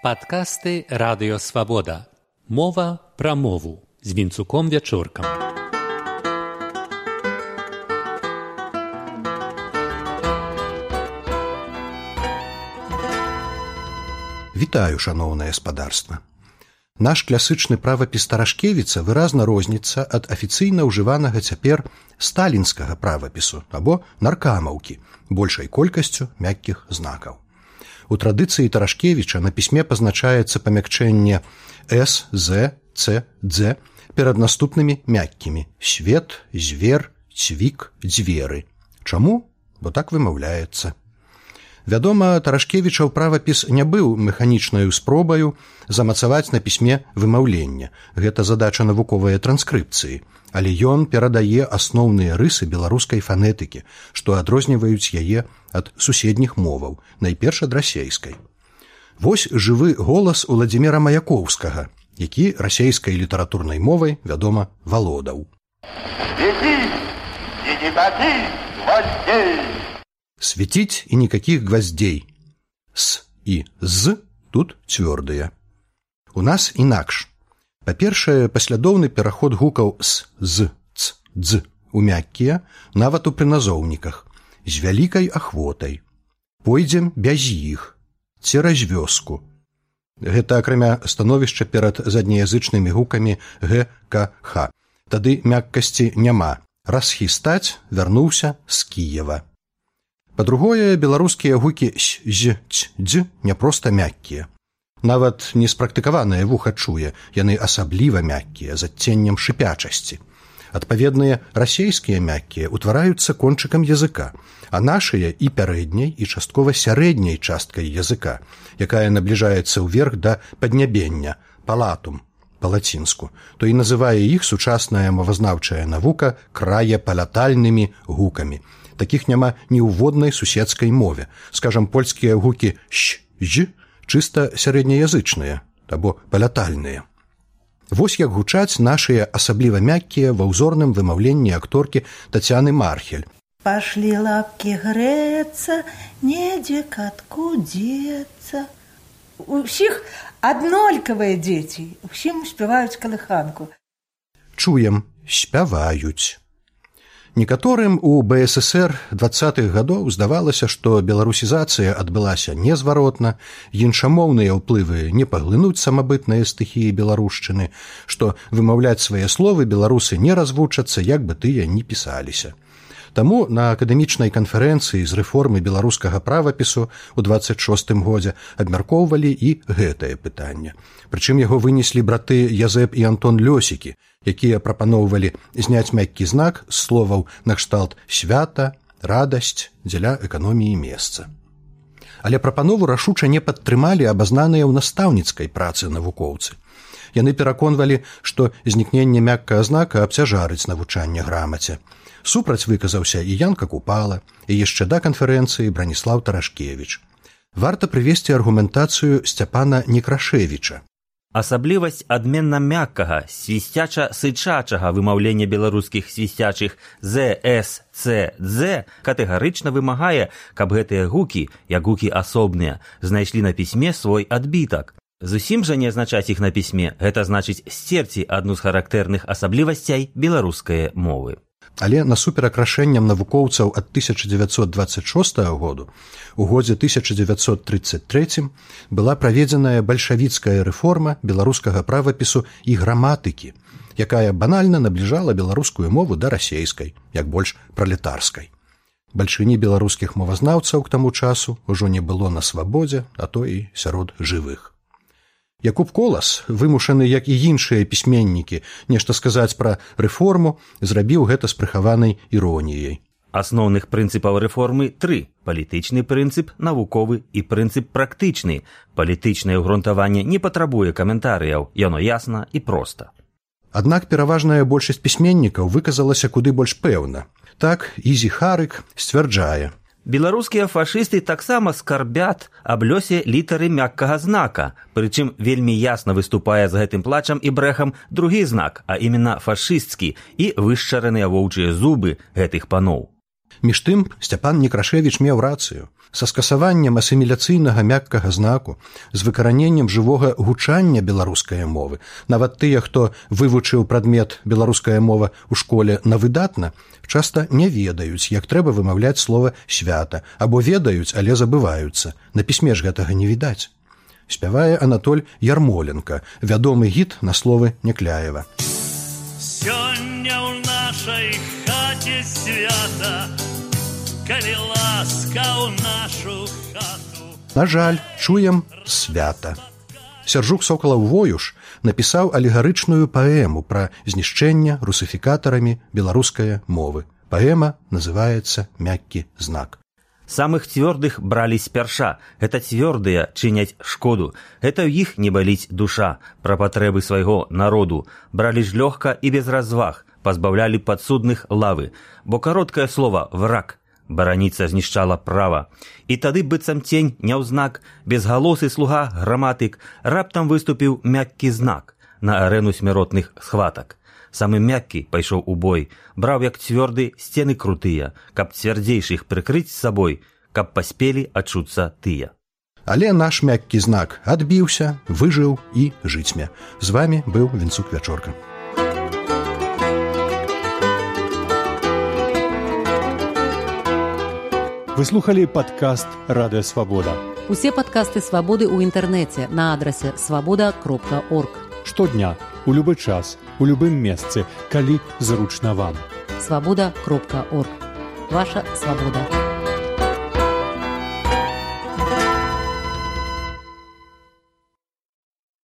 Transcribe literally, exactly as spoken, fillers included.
Падкасты Радыё Свабода. Мова пра мову з Вінцуком Вячоркам. Вітаю, шаноўнае спадарства. Наш класычны правапіс Тарашкевіца выразна розніцца ад афіцыйна ўжыванага цяпер сталінскага правапісу або наркамаўкі, большай колькасцю мяккіх знакаў. У традыцыі Тарашкевіча на пісьме пазначаецца памякчэнне «с», «з», «ц», «дз» перад наступнымі мяккімі «свет», «звер», «цвік», «дзверы». Чаму? Бо так вымаўляецца. Вядома, Тарашкевічаў правапіс не быў механічнаю спробаю замацаваць на пісьме вымаўленне. Гэта задача навуковай транскрыпцыі. Але ён перадае асноўныя рысы беларускай фанетыкі, што адрозніваюць яе ад суседніх моваў, найперш ад расейскай. Вось жывы голас Уладзіміра Маяковскага, які расейскай літаратурнай мовай, вядома, валодаў. Светить и никаких гвоздей. Светить и никаких гвоздей. С и з тут цвёрдыя. У нас інакш. Па-першае, паслядоўны пераход гукаў с, з, ц, дз у мяккія, нават у прыназоўніках, з вялікай ахвотай. Пойдзем без іх, цераз вёску. Гэта акрамя становішча перад заднеязычнымі гукамі г, к, х. Тады мяккасці няма. Расхістаць вярнуўся з Кіева. Па-другое, беларускія гукі с, з, ц, дз не проста мяккія. Нават неспрактыкаванае вуха чуе, яны асабліва мяккія, з адценнем шыпячасці. Адпаведныя расейскія мяккія ўтвараюцца кончыкам языка, а нашыя і пярэдняй, і часткова сярэдняй часткай языка, якая набліжаецца ўверх да паднябення, палатум, па-лацінску, то і называе іх сучасная мовазнаўчая навука краепалятальнымі гукамі. Такіх няма ні ў воднай суседскай мове. Скажам, польскія гукі «щ», «ж» чыста сярэднеязычныя, або палятальныя. Вось як гучаць нашыя асабліва мяккія ва ўзорным вымаўленні акторкі Тацяны Мархель. Пашлі лапкі грэцца, недзе катку дзецца. Усіх аднолькавыя дзеці, усім спяваюць калыханку. Чуем, спяваюць. Некаторым у бэ эс эс эр дваццатых гадоў здавалася, што беларусізацыя адбылася незваротна, іншамоўныя ўплывы не паглынуць самабытныя стыхіі беларушчыны, што вымаўляць свае словы беларусы не развучацца, як бы тыя ні пісаліся. Таму на акадэмічнай канферэнцыі з рэформы беларускага правапісу ў дваццаць шостым годзе абмяркоўвалі і гэтае пытанне. Прычым яго вынеслі браты Язэп і Антон Лёсікі, якія прапаноўвалі зняць мяккі знак з словаў накшталт «свята», «радасць» дзеля эканоміі месца. Але прапанову рашуча не падтрымалі абазнаныя ў настаўніцкай працы навукоўцы. Яны пераконвалі, што знікненне мяккага знака абцяжарыць навучанне грамаце. Супраць выказаўся і Янка Купала, і яшчэ да канферэнцыі Браніслаў Тарашкевіч. Варта прывесці аргументацыю Сцяпана Некрашевіча. Асаблівасць адменна мяккага, свісцяча-сычачага вымаўлення беларускіх свісцячых «з», «с», «ц», «дз» катэгарычна вымагае, каб гэтыя гукі, як гукі асобныя, знайшлі на пісьме свой адбітак. Зусім жа не азначаць іх на пісьме, гэта значыць сцерці адну з характэрных асаблівасцей беларускай мовы. Але насуперак рашэнням навукоўцаў ад тысяча дзевяцьсот дваццаць шостага году у годзе тысяча дзевяцьсот трыццаць трэцім была праведзеная бальшавіцкая рэформа беларускага правапісу і граматыкі, якая банальна набліжала беларускую мову да расейскай, як больш пралетарскай. Бальшыні беларускіх мовазнаўцаў к таму часу ўжо не было на свабодзе, а то і сярод жывых. Якуб Колас, вымушаны, як і іншыя пісьменнікі, нешта сказаць пра рэформу, зрабіў гэта з прыхаванай іроніяй. Асноўных прынцыпаў рэформы тры. Палітычны прынцып, навуковы і прынцып практычны. Палітычнае ўгрунтаванне не патрабуе каментарыяў, яно ясна і проста. Аднак пераважная большасць пісьменнікаў выказалася куды больш пэўна. Так, Ізі Харык сцвярджае: беларускія фашысты таксама скарбят аб лёсе літары мяккага знака, прычым вельмі ясна выступае з гэтым плачам і брэхам другі знак, а іменно фашысцкі і вышчараныя воўчыя зубы гэтых паноў. Між тым Сцяпан Некрашевіч меў рацыю. Са скасаваннем асіміляцыйнага мяккага знаку, з выкараненнем жывога гучання беларускай мовы, нават тыя, хто вывучыў прадмет беларуская мова ў школе на выдатна, часта не ведаюць, як трэба вымаўляць слова «свята», або ведаюць, але забываюцца. На пісьме ж гэтага не відаць. Спявае Анатоль Ярмоленко, вядомы гід на словы Някляева. Сёння ў нашай хаце свята, калі ласка ў нашу хату. На жаль, чуем свята. Сяржук Сокалаў-Воюш напісаў алегарычную паэму пра знішчэнне русіфікатарамі беларускай мовы. Паэма называецца «Мяккі знак». Самых цвёрдых бралі спярша. Гэта цвёрдыя чыняць шкоду. Гэта ў іх не баліць душа. Пра патрэбы свайго народу. Бралі ж лёгка і без разваг. Пазбаўлялі падсудных лавы. Бо кароткае слова «враг». Бараніца знішчала права. І тады быццам цень няўзнак, безгалосы слуга граматык раптам выступіў мяккі знак на арэну смяротных схватак. Самы мяккі пайшоў у бой, браў як цвёрды сцены крутыя, каб цвярдзейшых прыкрыць сабой, каб паспелі адчуцца тыя. Але наш мяккі знак адбіўся, выжыў і жыцьме. З вамі быў Вінцук Вячорка. Вы слухали падкаст «Радыё Свабода». Усе падкасты «Свабоды» ў інтэрнэце на адрасе свабода кропка орг. Штодня, у любы час, у любым месцы, калі зручна вам. свабода кропка орг. Ваша свабода.